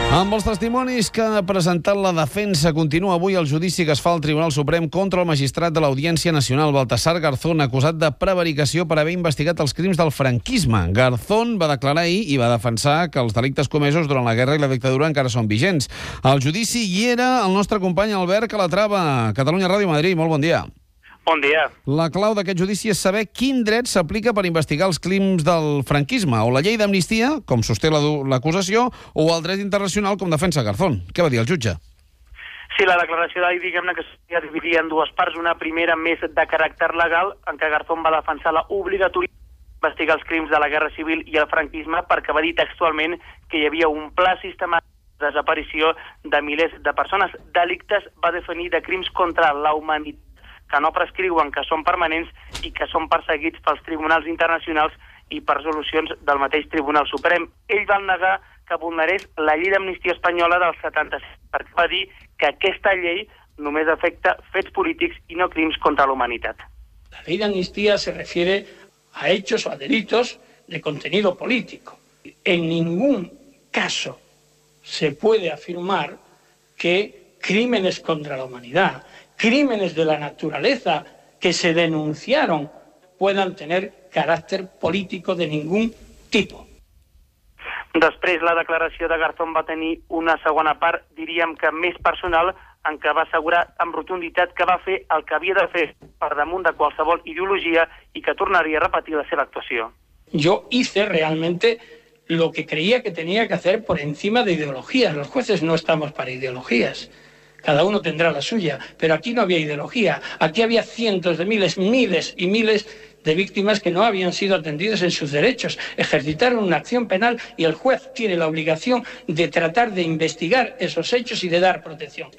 Amb els testimonis que ha presentat la defensa, continua avui el judici que es fa al Tribunal Suprem contra el magistrat de l'Audiència Nacional, Baltasar Garzón, acusat de prevaricació per haver investigat els crims del franquisme. Garzón va declarar ahir i va defensar que els delictes comesos durant la guerra i la dictadura encara són vigents. Al judici hi era el nostre company Albert Calatrava, Catalunya Ràdio Madrid. Molt bon dia. Bon dia. La clau d'aquest judici és saber quin dret s'aplica per investigar els crims del franquisme, o la llei d'amnistia, com sosté l'acusació, o el dret internacional, com defensa Garzón. Què va dir el jutge? Sí, la declaració d'ahir, diguem-ne que es dividia en dues parts. Una primera més de caràcter legal, en què Garzón va defensar l'obligatorietat d'investigar els crims de la Guerra Civil i el franquisme, perquè va dir textualment que hi havia un pla sistemàtic de desaparició de milers de persones. Delictes va definir de crims contra la humanitat que no prescriuen, que són permanents i que són perseguits pels tribunals internacionals i per resolucions del mateix Tribunal Suprem. Ell va negar que vulnerés la llei d'amnistia espanyola del 76, perquè va dir que aquesta llei només afecta fets polítics i no crims contra la humanitat. La ley de amnistía se refiere a hechos o a delitos de contenido político. En ningún caso se puede afirmar que crímenes contra la humanidad, crímenes de la naturaleza que se denunciaron puedan tener carácter político de ningún tipo. Després, la declaració de Garzón va tenir una segona part, diríem que més personal, en què va assegurar amb rotunditat que va fer el que havia de fer per damunt de qualsevol ideologia i que tornaria a repetir la seva actuació. Yo hice realmente lo que creía que tenía que hacer por encima de ideologías. Los jueces no estamos para ideologías. Cada uno tendrá la suya, pero aquí no había ideología. Aquí había cientos de miles y miles de víctimas que no habían sido atendidas en sus derechos. Ejercitaron una acción penal y el juez tiene la obligación de tratar de investigar esos hechos y de dar protección.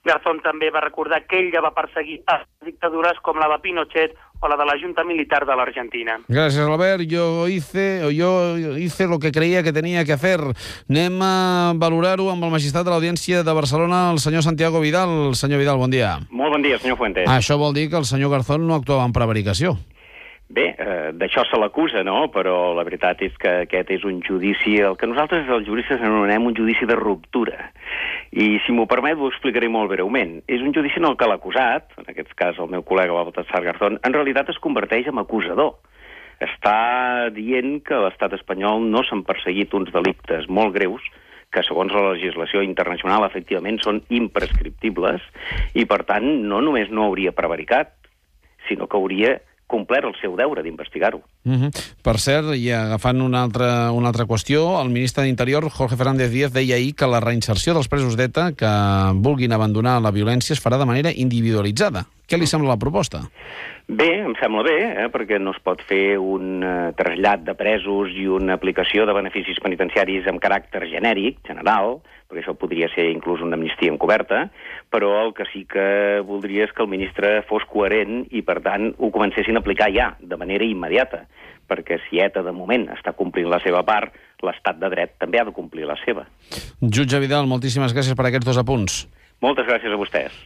Garzón també va recordar que ell ja va perseguir a dictadures com la de Pinochet o la de la Junta Militar de l'Argentina. Gràcies, Albert. Yo hice lo que creía que tenía que hacer. Anem a valorar-ho amb el magistrat de l'Audiència de Barcelona, el senyor Santiago Vidal. Senyor Vidal, bon dia. Molt bon dia, senyor Fuentes. Això vol dir que el senyor Garzón no actuava en prevaricació. Bé, d'això se l'acusa, no? Però la veritat és que aquest és un judici, el que nosaltres els juristes anomenem un judici de ruptura. I, si m'ho permet, ho explicaré molt breument. És un judici en el que l'acusat, en aquest cas el meu col·lega Baltasar Garzón, en realitat es converteix en acusador. Està dient que a l'estat espanyol no s'han perseguit uns delictes molt greus que, segons la legislació internacional, efectivament són imprescriptibles i, per tant, no només no hauria prevaricat, sinó que hauria complert el seu deure d'investigar-ho. Per cert, i agafant una altra qüestió, el ministre d'Interior, Jorge Fernández Díaz, deia ahir que la reinserció dels presos d'ETA que vulguin abandonar la violència es farà de manera individualitzada. Què li sembla la proposta? Bé, em sembla bé, perquè no es pot fer un trasllat de presos i una aplicació de beneficis penitenciaris amb caràcter genèric, general, perquè això podria ser inclús una amnistia encoberta, però el que sí que voldria és que el ministre fos coherent i, per tant, ho comencessin a aplicar ja, de manera immediata, perquè si ETA, de moment, està complint la seva part, l'estat de dret també ha de complir la seva. Jutge Vidal, moltíssimes gràcies per aquests dos apunts. Moltes gràcies a vostès.